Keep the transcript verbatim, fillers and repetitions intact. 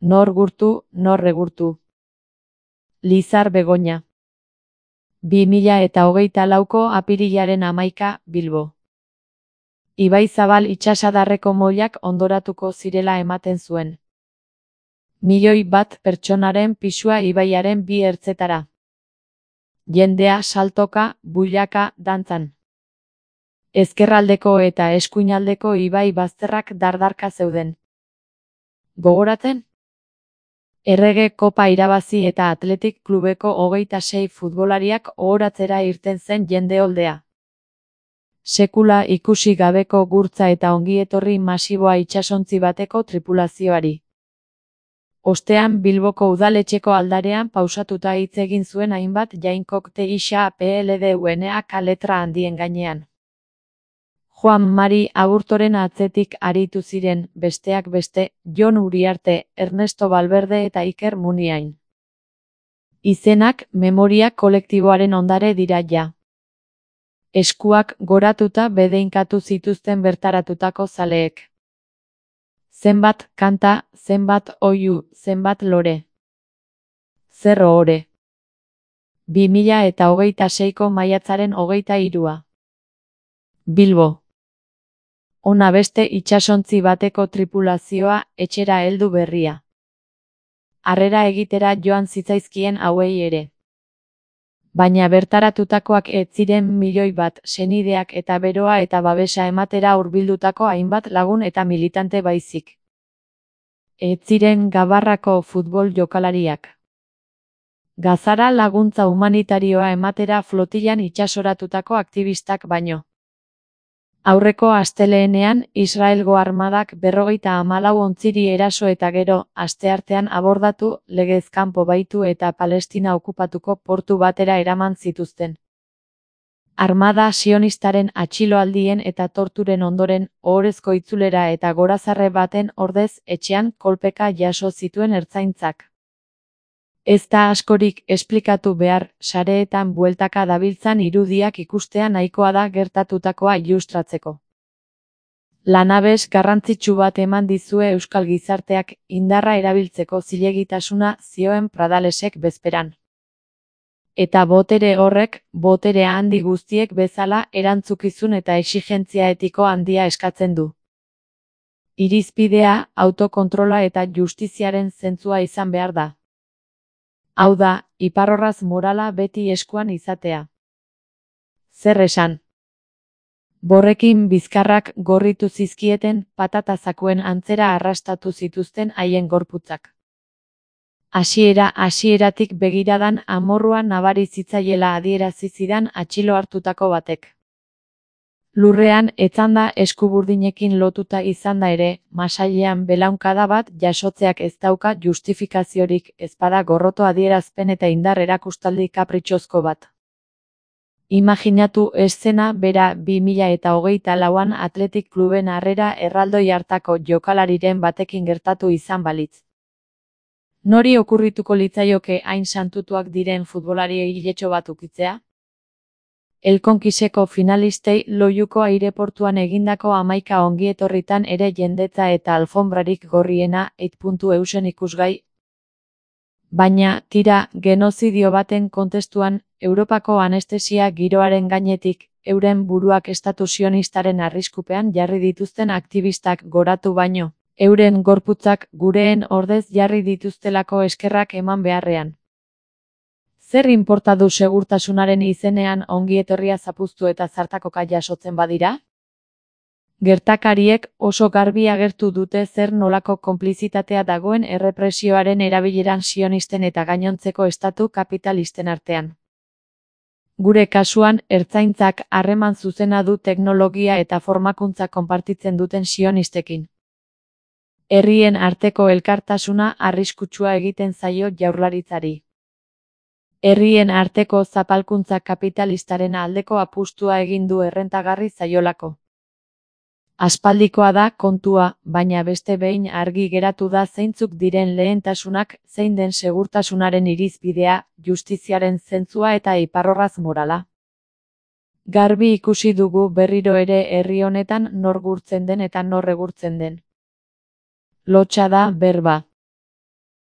Nor gurtu, nor egurtu. Lizar Begoña. bi mila eta hogeita lauko apirilaren hamaika, Bilbo. Ibai Zabal itsasadarreko moilak ondoratuko zirela ematen zuen. Milioi bat pertsonaren pisua ibaiaren bi ertzetara. Jendea saltoka, builaka, dantzan. Ezkerraldeko eta eskuinaldeko ibai bazterrak dardarka zeuden. Gogoratzen? Errege Kopa irabazi eta Athletic Klubeko hogeita sei futbolariak ohoratzera irten zen jende oldea. Sekula ikusi gabeko gurtza eta ongietorri masiboa itsasontzi bateko tripulazioari. Ostean Bilboko udaletxeko aldarean pausatuta hitz egin zuen hainbat jainkok teixa P L D U N A K letra handien gainean. Juan Mari Aburtoren atzetik aritu ziren, besteak beste, Jon Uriarte, Ernesto Valverde eta Iker Muniain. Izenak memoria kolektiboaren ondare dira ja. Eskuak goratuta bedeinkatu zituzten bertaratutako zaleek. Zenbat kanta, zenbat oihu, zenbat lore. Zer ohore. bi mila eta hogeita seiko maiatzaren hogeita hirua. Bilbo. Ona beste itsasontzi bateko tripulazioa etxera heldu berria. Harrera egitera joan zitzaizkien hauei ere. Baina bertaratutakoak ez ziren milioi bat senideak eta beroa eta babesa ematera hurbildutako hainbat lagun eta militante baizik. Ez ziren Gabarrako futbol jokalariak. Gazara laguntza humanitarioa ematera flotilan itsasoratutako aktivistak baino. Aurreko asteleenean Israelgo armadak berrogeita hamalau ontziri eraso eta gero, asteartean abordatu, legez kanpo baitu eta Palestina okupatuko portu batera eraman zituzten. Armada sionistaren atxiloaldien eta torturen ondoren, ohorezko itzulera eta gorazarre baten ordez etxean kolpeka jaso zituen ertzaintzak. Ez da askorik esplikatu behar, sareetan bueltaka dabiltzan irudiak ikustea nahikoa da gertatutakoa ilustratzeko. Lanabes garrantzitsu bat eman dizue euskal gizarteak indarra erabiltzeko zilegitasuna zioen Pradalesek bezperan. Eta botere horrek, botere handi guztiek bezala erantzukizun eta exigentzia etiko handia eskatzen du. Irizpidea, autokontrola eta justiziaren zentzua izan behar da. Hau da, iparrorraz morala beti eskuan izatea. Zer esan? Borrekin bizkarrak gorritu zizkieten patatazakuen antzera arrastatu zituzten haien gorputzak. Hasiera hasieratik begiradan amorrua nabari zitzaiela adierazi zidan atxilo hartutako batek. Lurrean etzanda eskuburdinekin lotuta izanda ere, masailean belaunkada bat jasotzeak ez dauka justifikaziorik, ezpada gorroto adierazpen eta indar erakustaldi kapritxozko bat. Imaginatu eszena bera bi mila eta hogeita lauan Athletic Kluben harrera erraldoi hartako jokalariren batekin gertatu izan balitz. Nori okurrituko litzaioke hain santutuak diren futbolari iletxo bat ukitzea? Elkonkiseko finalistei Loiuko aireportuan egindako hamaika ongietorritan ere jendetza eta alfonbrarik gorriena eight puntu eusen ikusgai. Baina, tira, genozidio baten kontestuan, Europako anestesia giroaren gainetik, euren buruak estatu sionistaren arriskupean jarri dituzten aktivistak goratu baino, euren gorputzak gureen ordez jarri dituztelako eskerrak eman beharrean. Zer inporta du segurtasunaren izenean ongietorria zapuztu eta zartakoka jasotzen badira? Gertakariek oso garbi agertu dute zer nolako konplizitatea dagoen errepresioaren erabileran sionisten eta gainontzeko estatu kapitalisten artean. Gure kasuan, ertzaintzak harreman zuzena du teknologia eta formakuntza konpartitzen duten sionistekin. Herrien arteko elkartasuna arriskutsua egiten zaio jaurlaritzari. Herrien arteko zapalkuntza kapitalistaren aldeko apustua egin du errentagarri zaiolako. Aspaldikoa da kontua, baina beste behin argi geratu da zeintzuk diren lehentasunak, zein den segurtasunaren irizpidea, justiziaren zentzua eta iparrorraz morala. Garbi ikusi dugu berriro ere herri honetan nor gurtzen den eta nor egurtzen den. Lotsa da berba.